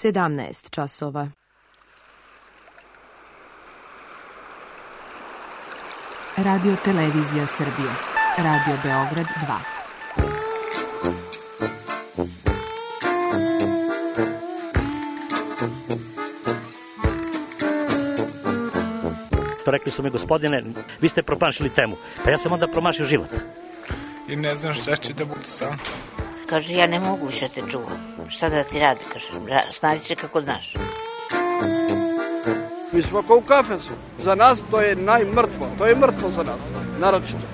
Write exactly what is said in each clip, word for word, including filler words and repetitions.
sedamnaest časova. Radio Televizija Srbije. Radio Beograd dva. Rekli su mi, gospodine, vi ste promašili temu. Pa ja sam onda promašio život. I ne znam šta će da bude sam. Kaže, ja ne mogu više te čuvam. Šta da ti radi, kaže, snađi se kako znaš. Mi smo kao u kafesu. Za nas to je najmrtvo. To je mrtvo za nas, naročito.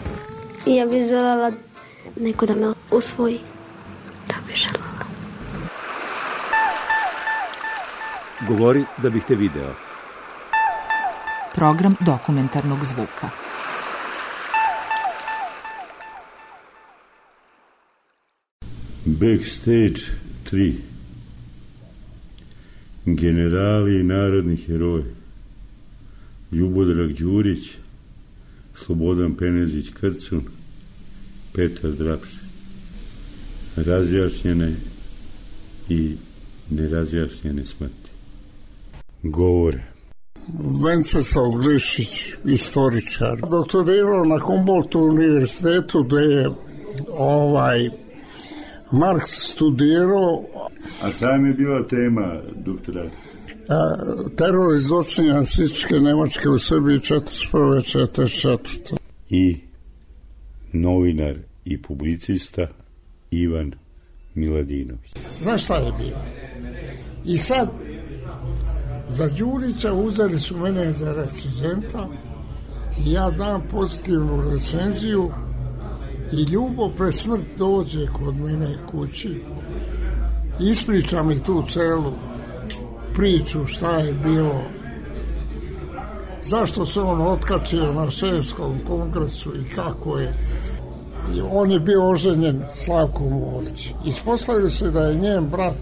Ja bih željela neko da me usvoji. To bih željela. Govori da bih te video. Program dokumentarnog zvuka. Backstage tri. Generali i narodni heroji. Ljubodrag Đurić, Slobodan Penezić Krcun, Petar Drapše. Razjašnjene i nerazjašnjene smrti. Govore. Venceslav Glišić, istoričar. Doktorirao na Humboldtu univerzitetu gde je ovaj Marks studirao. A sam je bila tema doktorata? Teror i zločini nacističke Nemačke u Srbiji četrdeset prve do četrdeset četvrte I novinar i publicista Ivan Miladinović. Znaš šta je bilo? I sad za Đurića uzeli su mene za recenzenta i ja dam pozitivnu recenziju i Ljubo pre smrt dođe kod mene kući, ispriča mi tu celu priču šta je bilo, zašto se on otkačio na Šefskom kongresu i kako je. I on je bio oženjen Slavkom Morić. Ispostavio se da je njen brat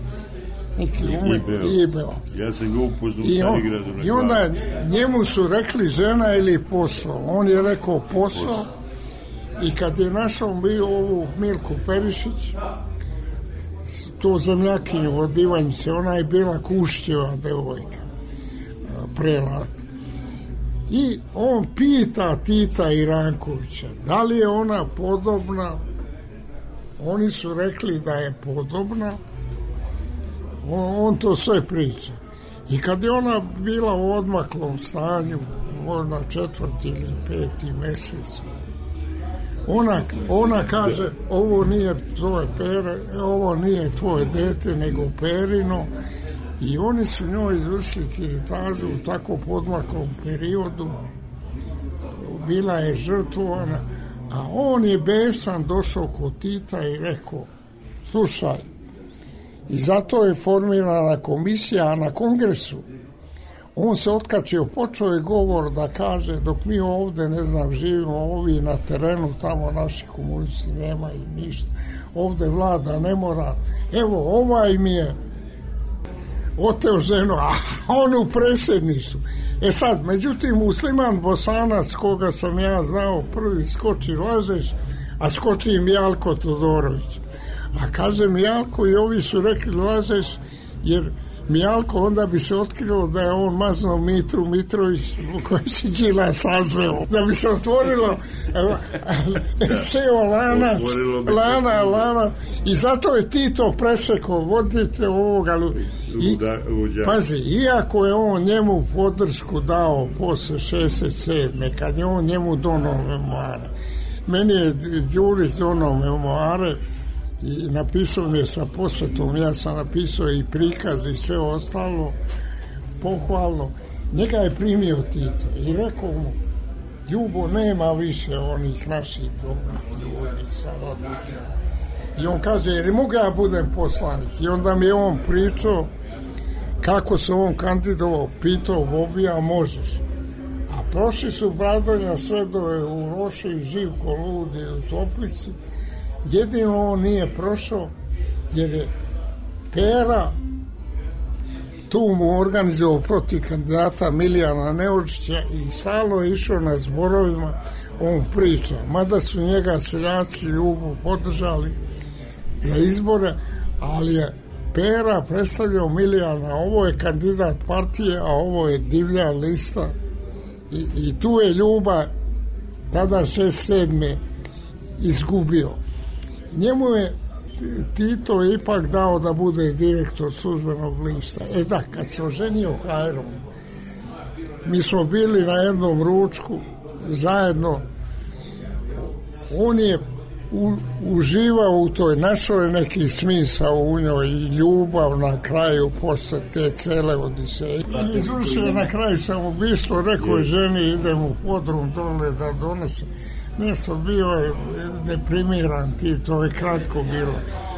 neki umet Ibeo. Ja sam ga upoznao I, on, na I onda njemu su rekli žena ili posao. On je rekao posao. I kad je našao mi ovu Milku Perišić, tu zemljakinju od Ivanjice, ona je bila Kušćeva devojka pre rata. I on pita Tita i Rankovića, da li je ona podobna? Oni su rekli da je podobna. On, on to sve priča. I kad je ona bila u odmaklom stanju, možda četvrti ili peti mesec, Ona, ona kaže, ovo nije tvoje pere, ovo nije tvoje dete, nego perino. I oni su njoj izvršili kiritažu u tako podmaklom periodu. Bila je žrtvovana, a on je besan došao kod Tita i rekao, slušaj, i zato je formirana komisija, a na kongresu on se otkačio, počeo je govor da kaže, dok mi ovde, ne znam, živimo, ovi na terenu, tamo naši komunisti nemaju ništa, ovde vlada ne mora, evo, ovaj mi je oteo ženu, a on u predsjedništvu. E sad, međutim, Musliman Bosanac, koga sam ja znao, prvi skoči lažeš, a skoči im Jalko Todorović. A kaže Mijalko, i ovi su rekli lažeš, jer Mijalko onda bi se otkrilo da je on mazno Mitru Mitrović u kojem se Đila sazveo. Da bi se otvorilo ceo lanac, lana, lana. I zato je Tito presekao, vodite ovoga. I, pazi, iako je on njemu podršku dao posle šezdeset sedme kad je on njemu donao memoare. Meni je Đurić donao memoare i napisao mi je sa posvetom, ja sam napisao i prikaz i sve ostalo pohvalno. Njega je primio Tito i rekao mu, Ljubo, nema više onih naših dobrih ljudi sa rodnicama. I on kaže, jer mogu ja budem poslanik? I onda mi je on pričao kako se on kandidovao, pitao Bobija, možeš? A prošli su Bradonja Svedove u Roši i Živko Ludi u Toplici. Jedino on nije prošao jer je Pera tu mu organizovao protiv kandidata Milijana Neočića i stalno je išao na zborovima, on priča. Mada su njega seljaci Ljubu podržali za izbore, ali je Pera predstavljao Milijana, ovo je kandidat partije, a ovo je divlja lista. I, i tu je Ljuba tada šest sedme izgubio. Njemu je Tito ipak dao da bude direktor službenog lista. E da, kad se oženio Hajrom, mi smo bili na jednom ručku zajedno. On je u, uživao u toj, našao je neki smisao u njoj i ljubav na kraju posle te cele odiseje. I izvršio na kraju samoubistvo, rekao je ženi idem u podrum dole da donese. Nešto bio je deprimiran, ti, to je kratko bilo.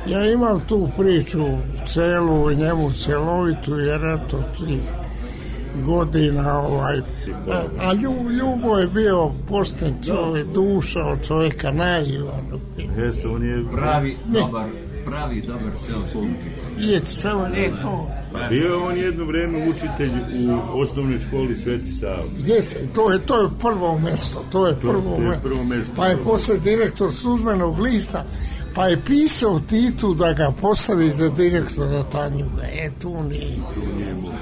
Ja imam tu priču celu, njemu celovitu, jer eto tih godina ovaj, a, a Ljubo je bio pošten čovjek, duša od čovjeka naivan. Jeste, on je pravi ne. dobar pravi dobar seoski učitelj. Je, samo je to. Bio on jedno vreme učitelj u osnovnoj školi Sveti Sava. Jeste, to je, to je prvo mesto, to je prvo, to, to je prvo mesto. Pa je posle direktor službenog lista, pa je pisao Titu da ga postavi za direktora Tanjuga. E, tu nije. Tu nije mogu.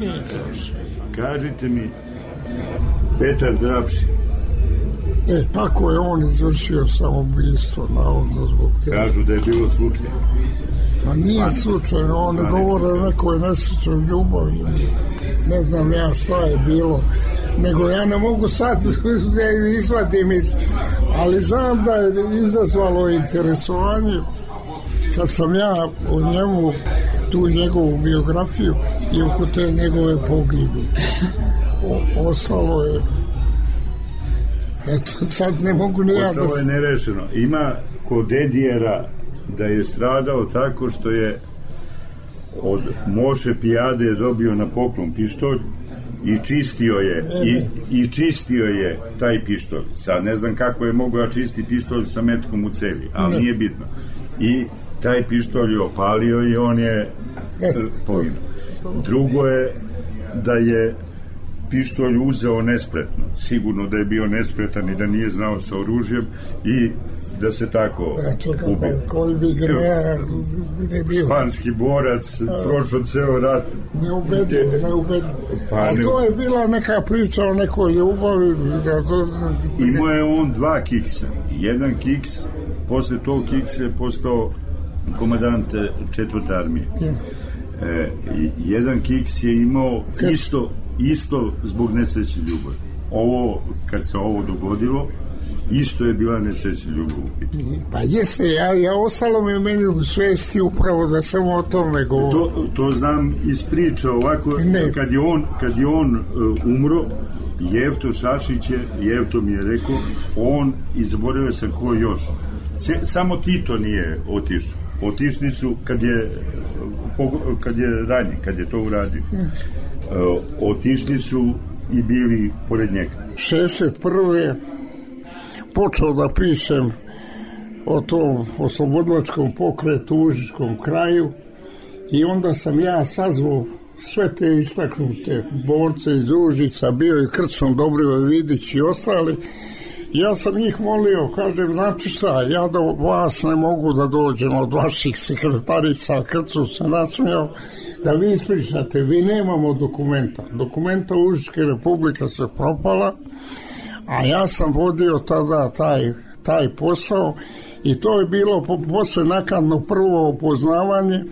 Nije prošlo. Kažite mi, Petar Drapši. E, tako je on izvršio samoubistvo, navodno zbog te. Kažu da je bilo slučaj. Ma nije slučajno, on ne govore o nekoj nesrećoj ljubavi. Ne znam ja šta je bilo. Nego ja ne mogu sad da izvadim iz... Ali znam da je izazvalo interesovanje kad sam ja o njemu, tu njegovu biografiju i oko te njegove pogibi. O, ostalo je... Eto, sad ne mogu ni ja da... Ostalo je nerešeno. Ima kod Dedijera da je stradao tako što je od Moše Pijade dobio na poklon pištolj i čistio je i, i čistio je taj pištolj. Sad ne znam kako je mogao čistiti pištolj sa metkom u cevi, ali ne. Nije bitno. I taj pištolj je opalio i on je poginuo. Drugo je da je pištolj uzeo nespretno. Sigurno da je bio nespretan i da nije znao sa oružjem i da se tako ubio. Koji bi greja ne bio. Španski borac, prošao ceo rat. Neubedljivo, neubedljivo. Pa, a to je bila neka priča o nekoj ljubavi. Imao je on dva kiksa. Jedan kiks, posle tog kiksa je postao komandant četvrte armije. E, jedan kiks je imao isto isto zbog nesreće ljubavi. Ovo, kad se ovo dogodilo, isto je bila nesreća ljubavi. Pa jeste, ja, ja ostalo mi meni u svesti upravo da sam o tome govorio. To, to znam iz priče ovako, ne. kad je on, kad je on uh, umro, Jevto Šašić je, Jevto mi je rekao, on, i zaboravio sam ko još, C, samo Tito nije otišao. Otišli su kad je kad je ranije, kad je to uradio. Uh, otišli su i bili pored njega. šezdeset prve počeo da pišem o tom oslobodilačkom pokretu u Užičkom kraju i onda sam ja sazvao sve te istaknute borce iz Užica, bio i Krcun, Dobrivoje Vidić i ostali. Ja sam njih molio, kažem, znači šta, ja do vas ne mogu da dođem od vaših sekretarica, Krcun se nasmijao, da vi ispričate, vi nemamo dokumenta. Dokumenta Užičke republike se propala, a ja sam vodio tada taj, taj posao i to je bilo po, posle nakadno prvo upoznavanje.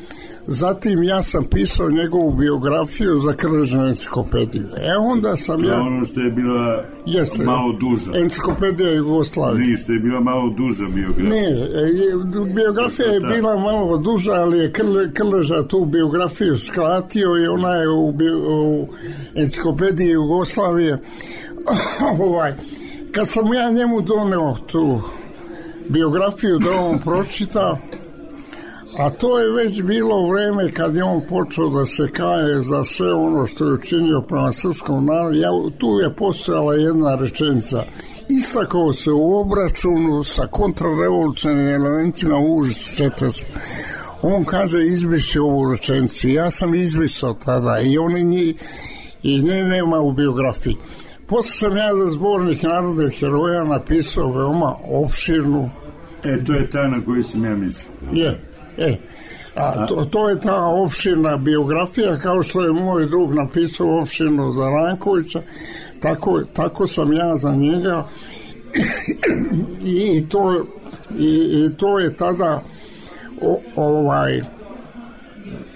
Zatim ja sam pisao njegovu biografiju za Krležnu enciklopediju. E onda sam to ja... To ono što je bila jeste, malo duža. Enciklopedija Jugoslavije. Ne, što je bila malo duža biografija. Ne, biografija je bila malo duža, ali je Krle, Krleža tu biografiju skratio i ona je u, u enciklopediji Jugoslavije. ovaj, kad sam ja njemu doneo tu biografiju da on pročita, a to je već bilo vreme kad je on počeo da se kaje za sve ono što je učinio prema srpskom narodu. Ja, tu je postojala jedna rečenica. Istakao se u obračunu sa kontrarevolucionarnim elementima u Užicu četrdeset. On kaže izbriši ovu rečenicu. Ja sam izbrisao tada i oni nji, i nje nema u biografiji. Posle sam ja za zbornik narodnih heroja napisao veoma opširnu. E, to je ta na koju sam ja mislio. Je. E, A to, to je ta opširna biografija, kao što je moj drug napisao opširno za Rankovića, tako, tako sam ja za njega i to, i, i to je tada o, ovaj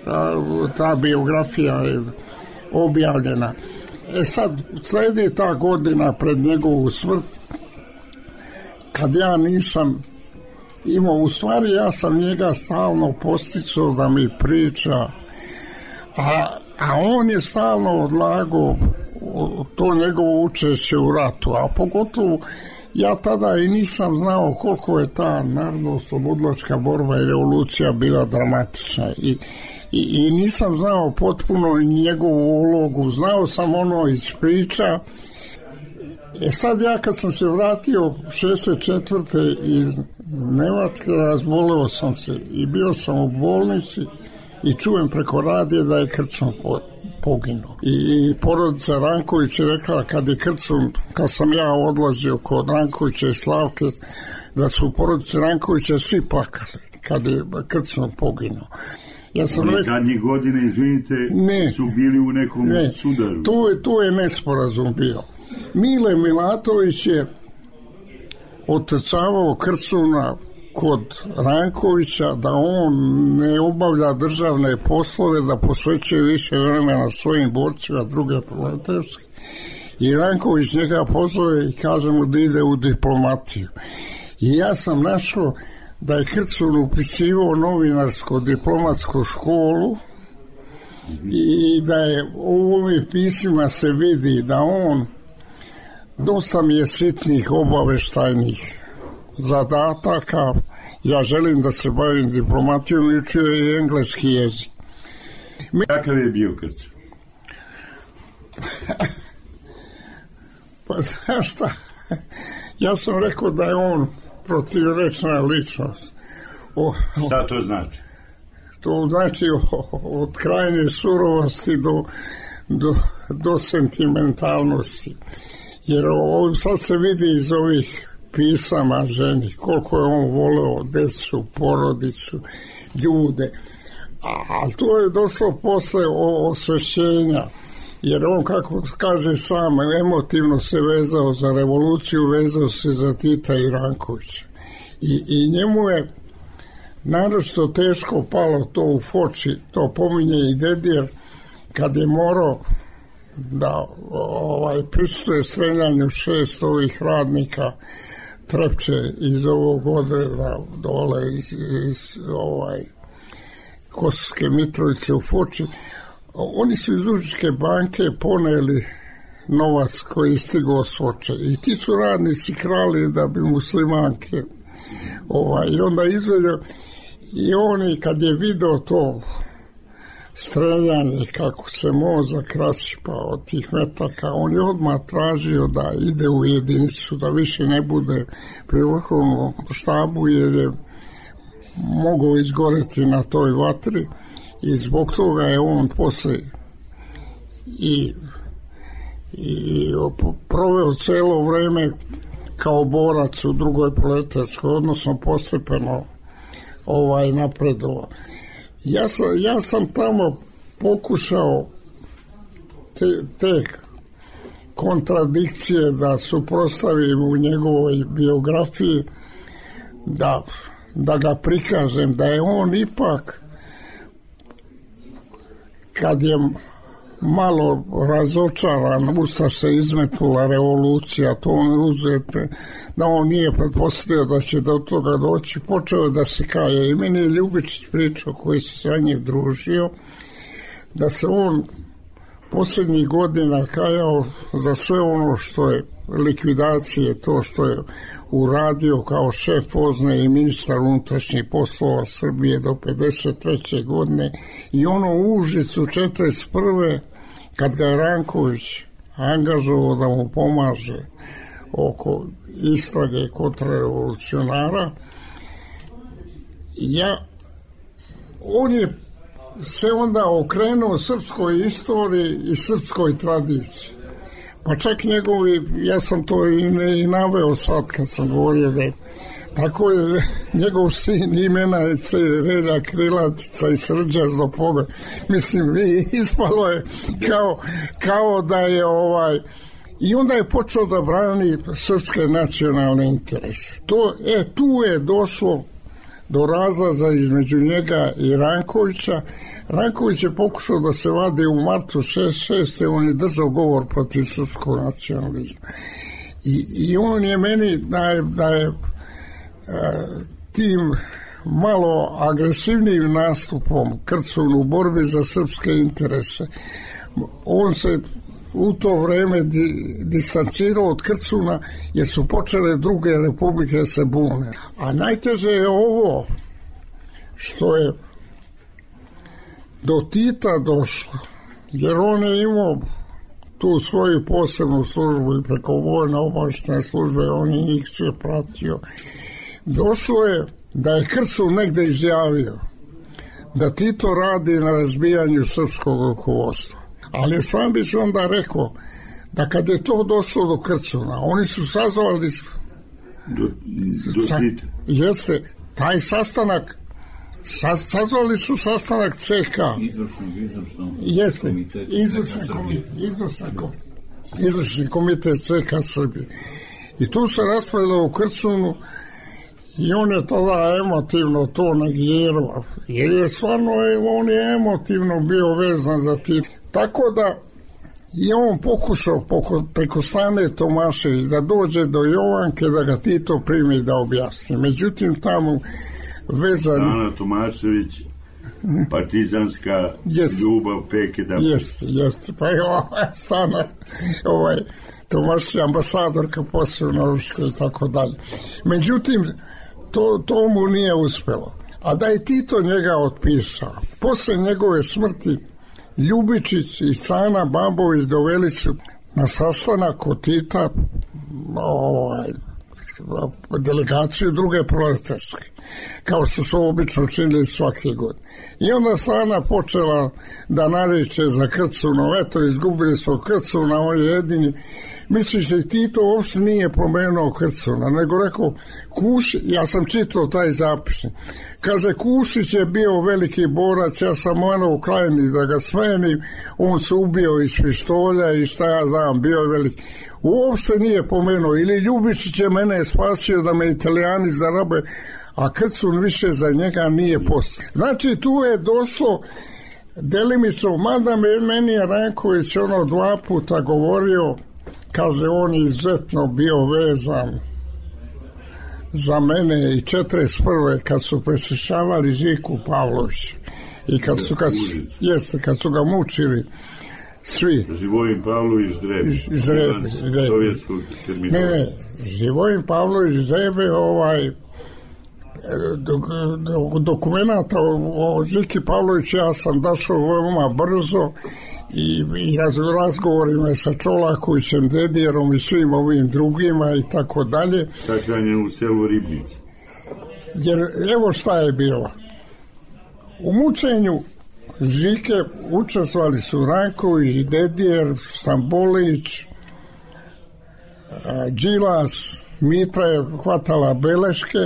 ta, ta biografija je objavljena. E sad, sledi ta godina pred njegovu smrt, kad ja nisam imao, u stvari ja sam njega stalno posticao da mi priča, a, a on je stalno odlagao to njegovo učešće u ratu, a pogotovo ja tada i nisam znao koliko je ta narodno-oslobodilačka borba i revolucija bila dramatična i, i, i nisam znao potpuno njegovu ulogu, znao sam ono iz priča. E sad ja kad sam se vratio šezdeset četvrte iz Nemačke, razboleo sam se i bio sam u bolnici i čujem preko radije da je Krcun poginuo. I, i porodica Ranković je rekla kad je Krcun, kad sam ja odlazio kod Rankovića i Slavke, da su u porodici Rankovića svi plakali kad je Krcun poginuo. Ja sam Oni rekao, zadnje godine, izvinite, ne, su bili u nekom ne, sudaru. To je, to je nesporazum bio. Mile Milatović je otrcavao Krcuna kod Rankovića da on ne obavlja državne poslove, da posvećuje više vremena svojim borcima druge proletarske. I Ranković njega pozove i kaže mu da ide u diplomatiju. I ja sam našao da je Krcun upisivao novinarsku diplomatsku školu i da je u ovim pismima se vidi da on dosta mi je sitnih obaveštajnih zadataka. Ja želim da se bavim diplomatijom i učio i engleski jezik. Kakav je bio Krcun? Pa znaš šta, ja sam rekao da je on protivrečna ličnost. O, šta to znači? To znači od krajnje surovosti do, do, do sentimentalnosti. Jer ovo sad se vidi iz ovih pisama ženi koliko je on voleo decu, porodicu, ljude. Ali to je došlo posle osvešćenja, jer on, kako kaže sam, emotivno se vezao za revoluciju, vezao se za Tita i Rankovića. I, i njemu je naročito teško palo to u Foči, to pominje i Dedijer, kad je morao da ovaj, prisutuje streljanju šest ovih radnika Trepče iz ovog odreda dole iz, iz ovaj, Kosovske Mitrovice u Foči. Oni su iz Užičke banke poneli novac koji je stigao s Foče i ti su radnici krali da bi muslimanke ovaj, i onda izvedio i oni kad je video to streljanje, kako se mozak rasipa od tih metaka, on je odmah tražio da ide u jedinicu, da više ne bude pri vrhovnom štabu, jer je mogao izgoreti na toj vatri i zbog toga je on posle i, i proveo celo vreme kao borac u drugoj proletarskoj, odnosno postepeno ovaj napredovao. Ja sam, ja sam tamo pokušao te, te kontradikcije da suprotstavim u njegovoj biografiji, da, da ga prikažem, da je on ipak, kad je malo razočaran, usta se izmetnula revolucija, to on uzete, da on nije pretpostavio da će do toga doći, počeo da se kaje. I meni je Ljubičić pričao, koji se sa njim družio, da se on posljednjih godina kajao za sve ono što je likvidacije, to što je uradio kao šef Pozne i ministar unutrašnjih poslova Srbije do pedeset treće godine i ono u Užicu četrdeset prve kad ga je Ranković angažovao da mu pomaže oko istrage kontrarevolucionara, ja, on je se onda okrenuo srpskoj istoriji i srpskoj tradiciji. Pa čak njegovi, ja sam to i, ne, i naveo sad kad sam govorio da je, Tako je njegov sin imena se Relja Krilatica i Srđa Zopoga. Mislim, ispalo je kao, kao da je ovaj... I onda je počeo da brani srpske nacionalne interese. To, e, tu je došlo do razlaza između njega i Rankovića. Ranković je pokušao da se vade u martu šezdeset šeste. On je držao govor protiv srpskog nacionalizma. I, i on je meni da je, da je tim malo agresivnijim nastupom Krcun u borbi za srpske interese, on se u to vreme di, distancirao od Krcuna jer su počele druge republike se bune. A najteže je ovo što je do Tita došlo, jer on je imao tu svoju posebnu službu i preko vojne obavještajne službe, on je njih sve pratio. Došlo je da je Krcun negde izjavio da Tito radi na razbijanju srpskog rukovodstva. Ali je Švambić onda rekao da kad je to došlo do Krcuna, oni su sazvali do, do sa, Tita. Jeste, taj sastanak sa, sazvali su sastanak C K. Izvršnog, izvršnog Jeste, komiteta. izvršni komitet, izvršni komitet, izvršni komitet C K Srbije. I tu se raspravljalo u Krcunu i on je tada emotivno to negirao. Jer je stvarno, on je emotivno bio vezan za Tito. Tako da je on pokušao preko Stane Tomašević da dođe do Jovanke da ga Tito primi da objasni. Međutim, tamo vezani... Stana Tomašević, partizanska yes. ljubav peke da... Jeste, jeste. Pa je ova Stana, ovaj, Tomašević ambasadorka posle u Norveškoj i tako dalje. Međutim, to, to mu nije uspelo. A da je Tito njega otpisao. Posle njegove smrti Ljubičić i Cana Babović doveli su na sastanak kod Tita ovaj, delegaciju druge proletarske, kao što su obično činili svake godine. I onda Sana počela da nariče za Krcunov, eto, izgubili smo Krcuna, on je jedini. Misliš da Tito uopšte nije pomenuo Krcuna, nego rekao, Kušić, ja sam čitao taj zapisnik, kaže, Kušić je bio veliki borac, ja sam morao u Krajini da ga smenim, on se ubio iz pištolja i šta ja znam, bio je veliki. Uopšte nije pomenuo, ili Ljubičić je mene spasio da me Italijani zarabe, a Krcun više za njega nije postao. Znači, tu je došlo delimično, mada meni je Ranković ono dva puta govorio, kaže, on je izuzetno bio vezan za mene i četrdeset prve kad su preslišavali Žiku Pavlovića i kad su, kad su, jeste, kad su ga mučili svi. Živojin Pavlović Drebe. Iz Drebe. Sovjetskog termina. Ne, ne, Živojin Pavlović Drebe, ovaj, do, do, dokumenta o, o Žiki Pavloviću ja sam došao veoma brzo i, i razgovorima sa Čolakovićem, Dedijerom i svim ovim drugima i tako dalje. Sahranjen u selu Ribnici. Jer evo šta je bilo. U mučenju Žike učestvovali su Ranković, Dedijer, Stambolić, Đilas, Mitra je hvatala beleške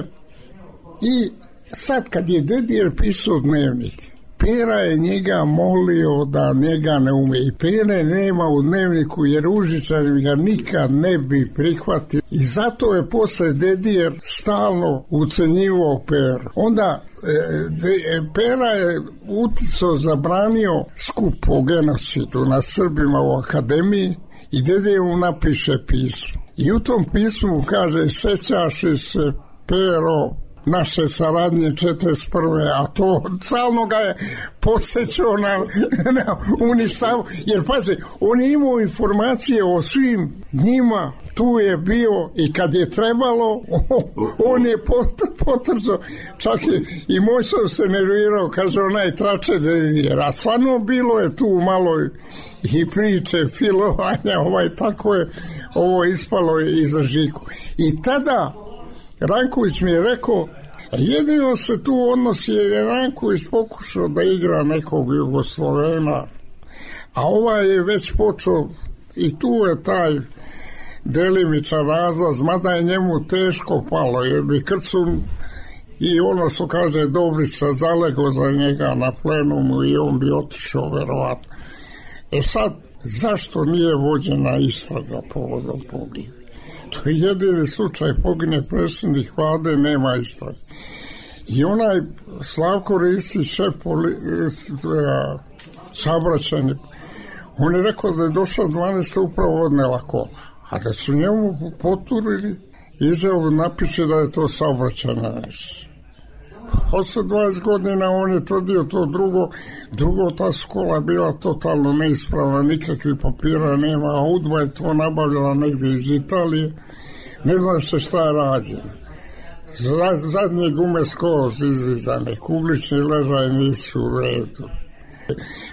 i sad kad je Dedijer pisao dnevnik, Pera je njega molio da njega ne ume. I Pere nema u dnevniku jer Užičani ga nikad ne bi prihvatili. I zato je posle Dedijer stalno ucenjivao Peru. Onda e, de, Pera je uticao, zabranio skup o genocidu na Srbima u akademiji i Dedijer mu napiše pismo. I u tom pismu kaže, sećaš li se, Pero, naše saradnje četrdeset prve, a to stalno ga je posjećao na, na uništavu, jer pazi, on je imao informacije o svim njima, tu je bio i kad je trebalo, on je potrcao, čak i, i moj sam se nervirao, kaže onaj trače, jer a stvarno bilo je tu malo i priče, filovanja, ovaj, tako je ovo ispalo i za Žiku. I tada Ranković mi je rekao, jedino se tu odnosi jer je Ranković pokušao da igra nekog Jugoslovena, a ovaj je već počeo i tu je taj delimičan razlaz, mada je njemu teško palo, jer bi Krcun i ono što kaže Dobrica zalego za njega na plenumu i on bi otišao verovatno. E sad, zašto nije vođena istraga povodom pogine? To je jedini slučaj, pogine predsjednik vlade, nema istrage. I onaj Slavko Ristić, šef poli, saobraćajni, on je rekao da je došla dvanaesta upravo odnela kola, a da su njemu poturili, izjavo napiše da je to saobraćajna nesreća. Posle dvadeset godina on je tvrdio to drugo, drugo ta škola bila totalno neispravna, nikakvih papira nema, a UDBA je to nabavljala negdje iz Italije, ne znam se šta je rađeno. Zadnje gume skroz izlizane, kuglični ležaj nisu u redu.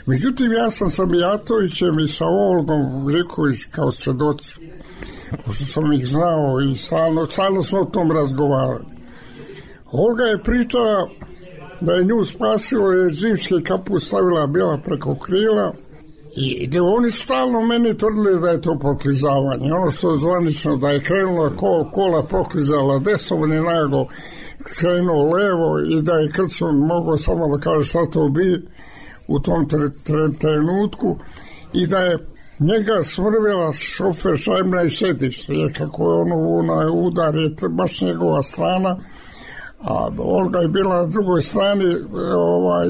Međutim, ja sam sa Mijatovićem i sa Olgom Žiković kao svedoci, pošto sam ih znao i stalno, stalno smo o tom razgovarali. Olga je pričala da je nju spasilo, je zimski kaput stavila bila preko krila i da oni stalno meni tvrdili da je to proklizavanje. Ono što je zvanično, da je krenula kola, kola proklizala desno, on je naglo krenuo levo i da je Krcun mogao samo da kaže šta to bi u tom tre, tre, trenutku i da je njega smrvila šofer šajbna i sedište, jer kako je ono onaj udar je baš njegova strana, a Olga je bila na drugoj strani, ovaj,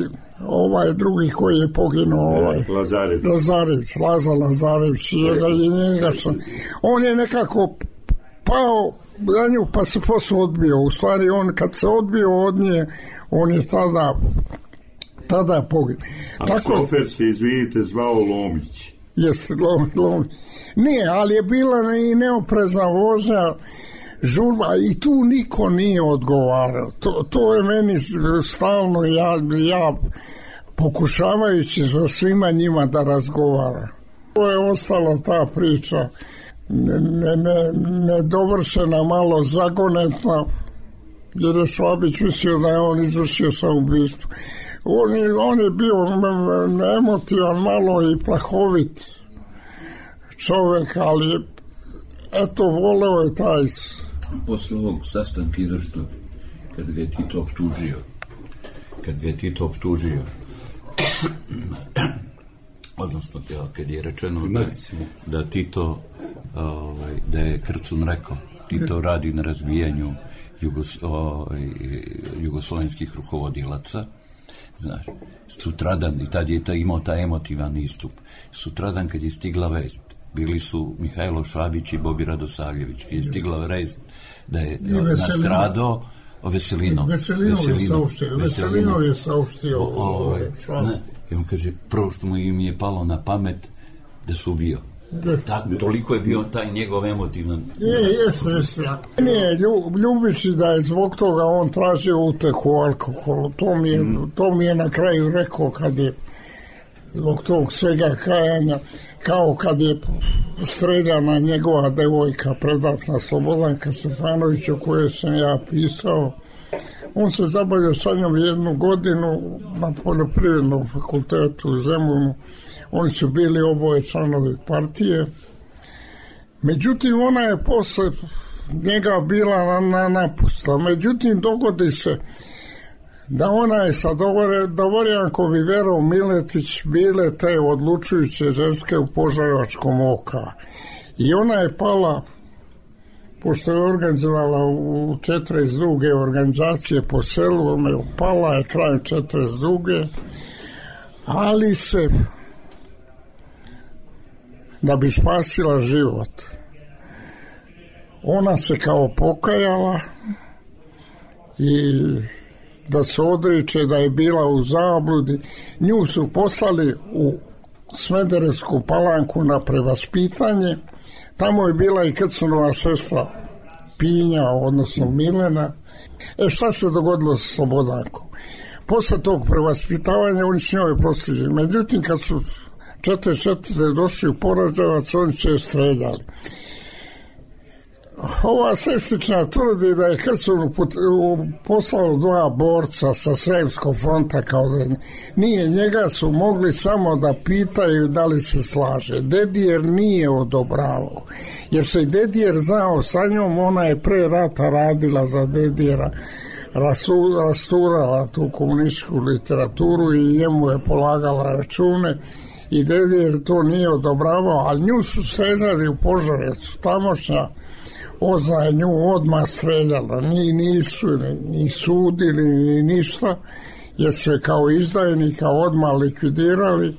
ovaj drugi koji je poginuo, ovaj, Lazarević. Lazarević, Laza Lazarević, njega, i njega sam, on je nekako pao za nju, pa se posle odbio. U stvari, on kad se odbio od nje, on je tada, tada poginuo. A tako, šofer se, izvinite, zvao Lomić. Jeste, Lomić. Lomić. Nije, ali je bila i neoprezna vožnja, žurba, i tu niko nije odgovarao. To, to je meni stalno, ja, ja pokušavajući za svima njima da razgovara. To je ostala ta priča nedovršena, ne, ne malo zagonetna, jer je Švabić mislio da je on izvršio samoubojstvo. On je, on je bio emotivan, malo i plahovit čovjek, ali eto, voleo je taj. Posle ovog sastanka izvršnog, kad ga je Tito optužio, kad ga je Tito optužio, odnosno kad je rečeno da, da Tito, ovaj, da je Krcun rekao, Tito radi na razvijanju jugos, ovaj, jugoslovenskih rukovodilaca, znaš, sutradan, i tad je ta, imao taj emotivan istup, sutradan kad je stigla vest, bili su Mihajlo Šabić i Bobi Radosavljević, kad je stigla vest da je nastradao Veselino. Veselino je saopštio. Veselino je saopštio. I on kaže, prvo što mu im je palo na pamet da su ubio. Tako, toliko je bio taj njegov emotivan. Je, jeste, jeste. Nije, ljubići da je zbog toga on tražio utehu alkoholu. To mi je, mm. to mi je na kraju rekao kad je zbog tog svega kajanja, kao kad je streljana njegova devojka, predatna Slobodanka Stefanović, o kojoj sam ja pisao. On se zabavio sa njom jednu godinu na poljoprivrednom fakultetu u Zemunu. Oni su bili oboje članovi partije. Međutim, ona je posle njega bila na, na napusta. Međutim, dogodi se da ona je sa Dvorjankom i Verom Miletić bile te odlučujuće ženske u Požarevačkom oka. I ona je pala, pošto je organizovala u četrdeset druge organizacije po selu, ona je pala je krajem četrdeset druge, ali se, da bi spasila život, ona se kao pokajala i da se odriče da je bila u zabludi. Nju su poslali u Smederevsku Palanku na prevaspitanje. Tamo je bila i Krcunova sestra Pinja, odnosno Milena. E, šta se dogodilo sa Slobodankom? Posle tog prevaspitavanja oni su njoj prostižili. Međutim, kad su četrdeset četvrte došli u Poraževac, oni su je streljali. Ova sestrična tvrdi da je Krcun poslao dva borca sa Sremskog fronta, kao da nije, njega su mogli samo da pitaju da li se slaže. Dedijer nije odobravao, jer se Dedijer znao sa njom, ona je pre rata radila za Dedijera, rasturala tu komunističku literaturu i njemu je polagala račune i Dedijer to nije odobravao, ali nju su srezali u Požarevcu, tamošnja Ozna je nju odmah streljala, ni nisu ni sudili ni ništa, jer su je kao izdajnika odmah likvidirali.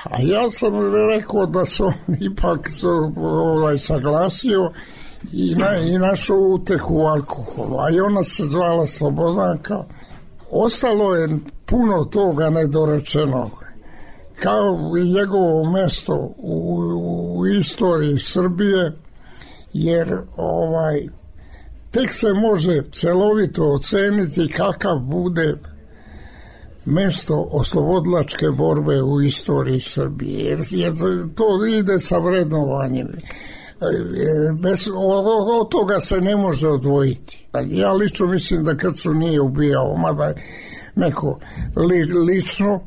A ja sam rekao da su ipak su, ovaj, saglasio i, na, i našao utehu u alkoholu, a i ona se zvala Slobodanka. Ostalo je puno toga nedorečenog, kao i njegovo mesto u, u istoriji Srbije, jer ovaj tek se može celovito oceniti kakav bude mesto oslobodilačke borbe u istoriji Srbije, jer, jer to ide sa vrednovanjem. Bez, od, od toga se ne može odvojiti. Ja lično mislim da Krcun nije ubijao, mada neko li, lično,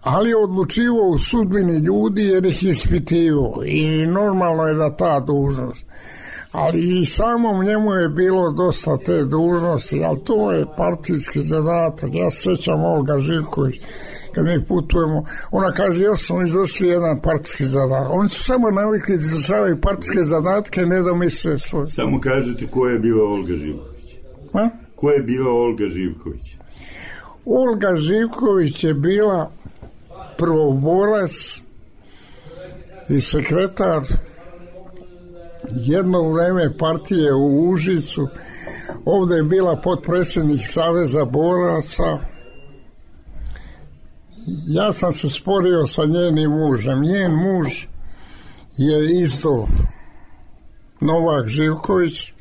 ali je odlučivao u sudbini ljudi jer ih ispitivao i normalno je da ta dužnost. Ali i samom njemu je bilo dosta te dužnosti, ali to je partijski zadatak. Ja se sjećam Olga Živković, kad mi putujemo, ona kaže, još smo izvršili jedan partijski zadatak. Oni su samo navikli da izvršavaju partijske zadatke, ne da misle svoje. Samo kažete ko je bila Olga Živković? A? Ko je bila Olga Živković? Olga Živković je bila prvoborac i sekretar jedno vreme partije u Užicu. Ovde je bila potpredsjednik Saveza boraca. Ja sam se sporio sa njenim mužem. Njen muž je isto Novak Živković.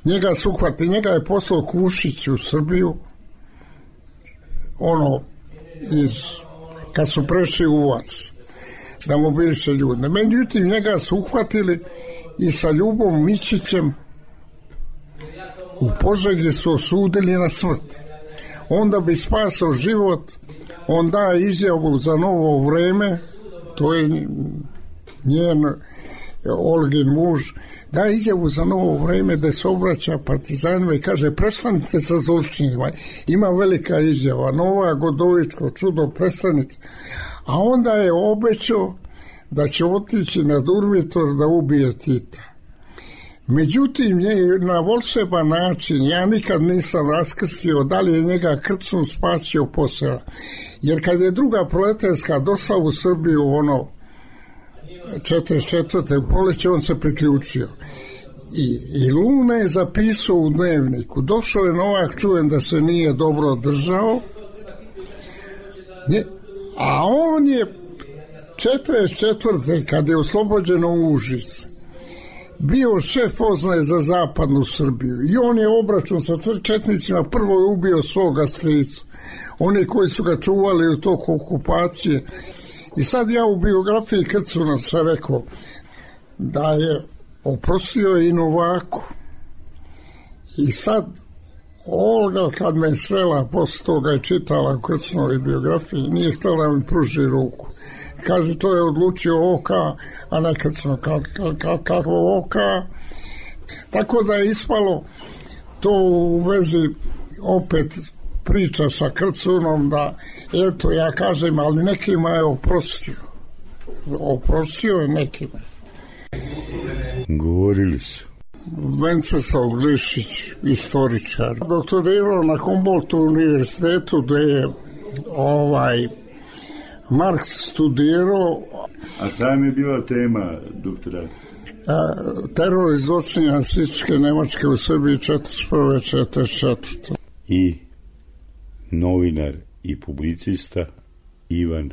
Njega su uhvatili, njega je poslao Kušić u Srbiju, ono iz kad su prešli Uvac da mobiliše ljude. Međutim, njega su uhvatili i sa Ljubom Mićićem u Požegi su osudili na smrt. Onda bi spasao život, on da izjavu za Novo vreme, to je njen Olgin muž, da izjavu za Novo vreme da se obraća partizanima i kaže prestanite sa zločinima. Ima velika izjava, Nova Godovičko čudo, prestanite. A onda je obećao da će otići na Durmitor da ubije Tita. Međutim, na volšeban način, ja nikad nisam raskrstio da li je njega Krcun spasio posela. Jer kad je druga proletarska došla u Srbiju, ono, četrdeset četvrte u proleće, on se priključio. I, i Luna je zapisao u dnevniku. Došao je Novak, čujem da se nije dobro držao, a on je četrdeset četvrte kad je oslobođeno Užice, bio šef oznaje za zapadnu Srbiju i on je obračun sa četnicima, prvo je ubio svoga strica, oni koji su ga čuvali u toku okupacije. I sad ja u biografiji Krcuna sam rekao da je oprostio i Novaku. I sad Olga kad me srela posle toga je čitala u Krcunovoj biografiji, nije htjela da mi pruži ruku. Kaže, to je odlučio O K, a ne Krcunov, kako O K. Tako da je ispalo to u vezi opet priča sa Krcunom, da eto ja kažem, ali nekima je oprostio. Oprostio je nekima. Govorili su. Venceslav Glišić, istoričar. Doktorirao na Humboldtu univerzitetu gde je ovaj Marks studirao. A sam je bila tema doktora? Teror i zločini nacističke Nemačke u Srbiji četrdeset prve do četrdeset četvrte I novinar i publicista Ivan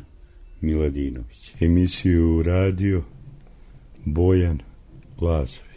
Miladinović. Emisiju radio Bojan Lazović.